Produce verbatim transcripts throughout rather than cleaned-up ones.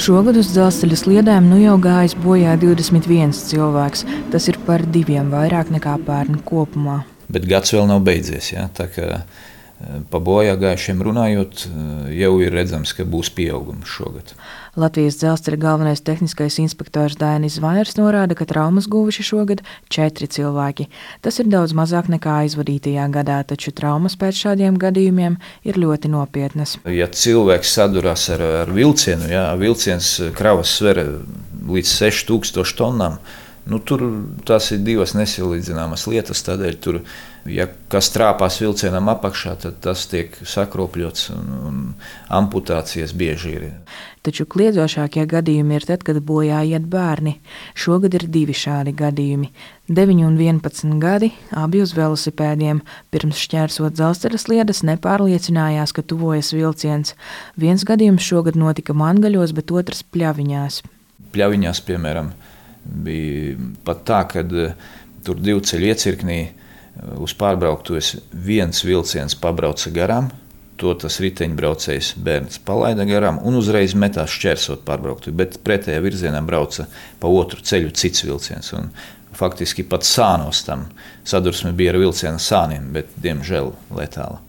Šogad uz dzelzceļa sliedēm nu jau gājis bojā divdesmit viens cilvēks. Tas ir par diviem vairāk nekā pērn kopumā. Bet gads vēl nav beidzies. Ja? Tā kā pa bojā gājušiem runājot, jau ir redzams, ka būs pieaugums šogad. Latvijas dzelzceļa galvenais tehniskais inspektors Dainis Zvaners norāda, ka traumas guvuši šogad četri cilvēki. Tas ir daudz mazāk nekā aizvadītajā gadā, taču traumas pēc šādiem gadījumiem ir ļoti nopietnas. Ja cilvēks sadurās ar, ar vilcienu, ja, vilciens kravas sver līdz seši tūkstoši tonnām, nu, tur tās ir divas nesalīdzināmas lietas, tādēļ tur, ja kas trāpās vilcienam apakšā, tad tas tiek sakropļots un, un amputācijas bieži ir. Taču kliedzošākie gadījumi ir tad, kad bojā iet bērni. Šogad ir divi šādi gadījumi. deviņi un vienpadsmit gadi, abi uz velosipēdiem. Pirms šķērsot dzelzceļa sliedes nepārliecinājās, ka tuvojas vilciens. Viens gadījums šogad notika Mangaļos, bet otrs Pļaviņās. Pļaviņās, piemēram, bija pat tā, ka tur divu ceļu iecirknī uz pārbrauktuves viens vilciens pabrauca garām, to tas riteņbraucējs bērns palaida garām un uzreiz metās šķērsot pārbrauktuvi, bet pretējā virzienā brauca pa otru ceļu cits vilciens. Un faktiski pat sānos tam sadursme bija ar vilciena sāniem, bet diemžēl letāla.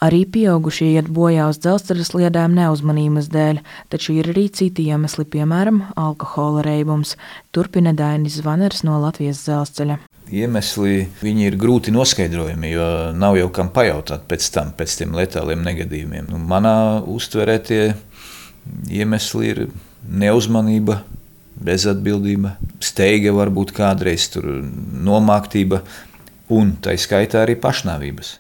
Arī pieaugušie iet bojā uz dzelzceļa sliedēm neuzmanības dēļ, taču ir arī citi iemesli, piemēram, alkohola reibums. Turpina Dainis Zvaners no Latvijas dzelzceļa. Iemesli viņi ir grūti noskaidrojami, jo nav jau kam pajautāt pēc tam, pēc tiem letāliem negadījumiem. Nu, manā uztverē tie iemesli ir neuzmanība, bezatbildība, steiga varbūt kādreiz, tur nomāktība un tai skaitā arī pašnāvības.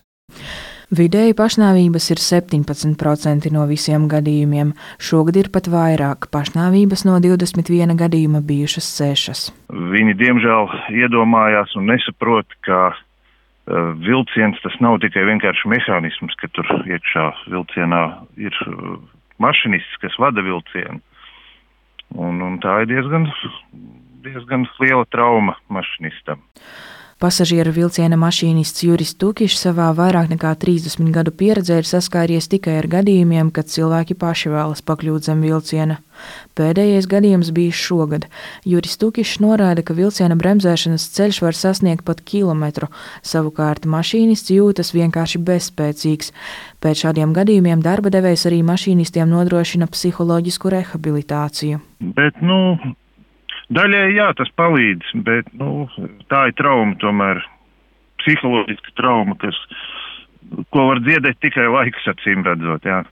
Vidēji pašnāvības ir septiņpadsmit procenti no visiem gadījumiem. Šogad ir pat vairāk. Pašnāvības no divdesmit viena gadījuma bijušas sešas. Viņi diemžēl iedomājās un nesaprot, ka uh, vilciens tas nav tikai vienkārši mehānisms, ka tur iekšā vilcienā ir uh, mašinists, kas vada vilcienu. Un, un tā ir diezgan, diezgan liela trauma mašinistam. Pasažieru vilciena mašīnists Juris Tukišs savā vairāk nekā trīsdesmit gadu pieredzē ir saskāries tikai ar gadījumiem, kad cilvēki paši vēlas pakļūt zem vilciena. Pēdējais gadījums bija šogad. Juris Tukišs norāda, ka vilciena bremzēšanas ceļš var sasniegt pat kilometru, savukārt mašīnists jūtas vienkārši bezspēcīgs. Pēc šādiem gadījumiem darba devējs arī mašīnistiem nodrošina psiholoģisku rehabilitāciju. Bet, nu... Daļai jā, tas palīdz, bet nu, tā ir trauma, tomēr psiholoģiska trauma, kas, ko var dziedēt tikai laiks acīm redzot. Jā.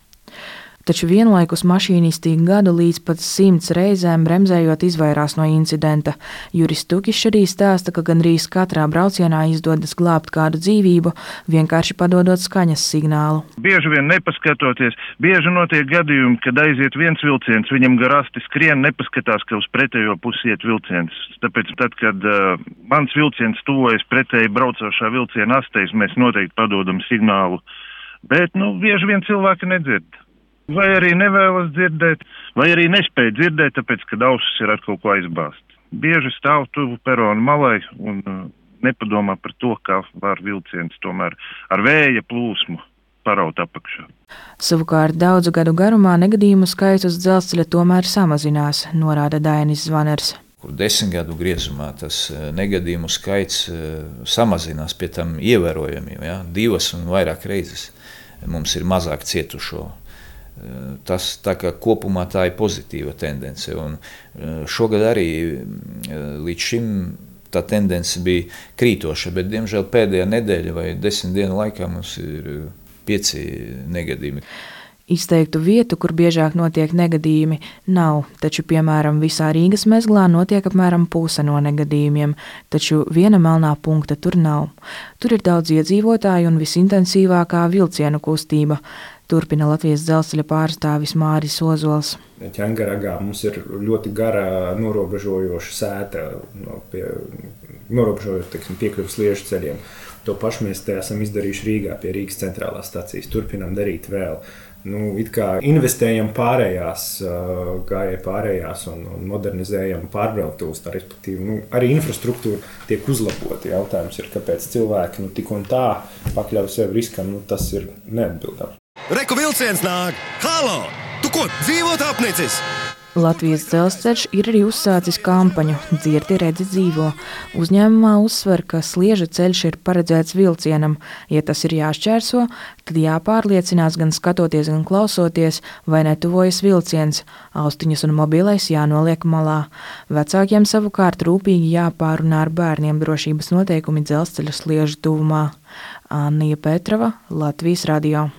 Taču vienlaikus mašīnisti gadu līdz pat simts reizēm bremzējot izvairās no incidenta. Juris Tukišs arī stāsta, ka gandrīz katrā braucienā izdodas glābt kādu dzīvību, vienkārši padodot skaņas signālu. Bieži vien nepaskatoties, bieži notiek gadījumi, kad aiziet viens vilciens, viņam garasti skrien, nepaskatās, ka uz pretējo pusi iet vilciens. Tāpēc tad, kad uh, mans vilciens tuvojas pretēji braucošā vilciena astēs, mēs noteikti padodam signālu, bet nu, bieži vien cilvēki nedzird. Vai arī nevēlas dzirdēt, vai arī nespēja dzirdēt, tāpēc, ka ausis ir ar kaut ko aizbāzt. Bieži stāv tuvu peronu malai un uh, nepadomā par to, kā var vilciens tomēr ar vēja plūsmu paraut apakšā. Savukārt daudzu gadu garumā negadījumu skaits uz dzelzceļa tomēr samazinās, norāda Dainis Zvaners. Kur desmit gadu griezumā tas negadījumu skaits uh, samazinās, pie tam ievērojami, ja? Divas un vairāk reizes mums ir mazāk cietušo. Tas tā kā kopumā tā ir pozitīva tendence, un šogad arī līdz šim tā tendence bija krītoša, bet diemžēl pēdējā nedēļa vai desmit dienu laikā mums ir pieci negadījumi. Izteiktu vietu, kur biežāk notiek negadījumi, nav, taču, piemēram, visā Rīgas mezglā notiek apmēram puse no negadījumiem, taču viena melnā punkta tur nav. Tur ir daudz iedzīvotāju un visintensīvākā vilcienu kustība. Turpina Latvijas dzelzceļa pārstāvis Māris Ozols. Ķengaragā mums ir ļoti gara norobežojoša sēta, no pie, norobežojot, teiksim, piekļuvas sliežu ceļiem. To pašu mēs te esam izdarījuši Rīgā pie Rīgas centrālās stacijas. Turpinām darīt vēl. Nu, it kā investējam pārējās, gājēji pārējās un, un modernizējam pārbrauktuves, tā respektīvi, nu, arī infrastruktūra tiek uzlabota. Jautājums ir, kāpēc cilvēki nu, tik un tā pakļauj sevi riskam, nu, tas ir neatbildami. Reku vilciens nāk! Halo! Tu ko, dzīvot apnicis? Latvijas dzelzceļš ir arī uzsācis kampaņu Dzirdi, redzi, dzīvo. Uzņēmumā uzsver, ka Slieža ceļš ir paredzēts vilcienam. Ja tas ir jāšķērso, tad jāpārliecinās gan skatoties, gan klausoties, vai netuvojas vilciens. Austiņas un mobilais jānoliek malā. Vecākiem savukārt rūpīgi jāpārunā ar bērniem drošības noteikumi dzelzceļa Slieža tuvumā. Annija Petrova, Latvijas radio.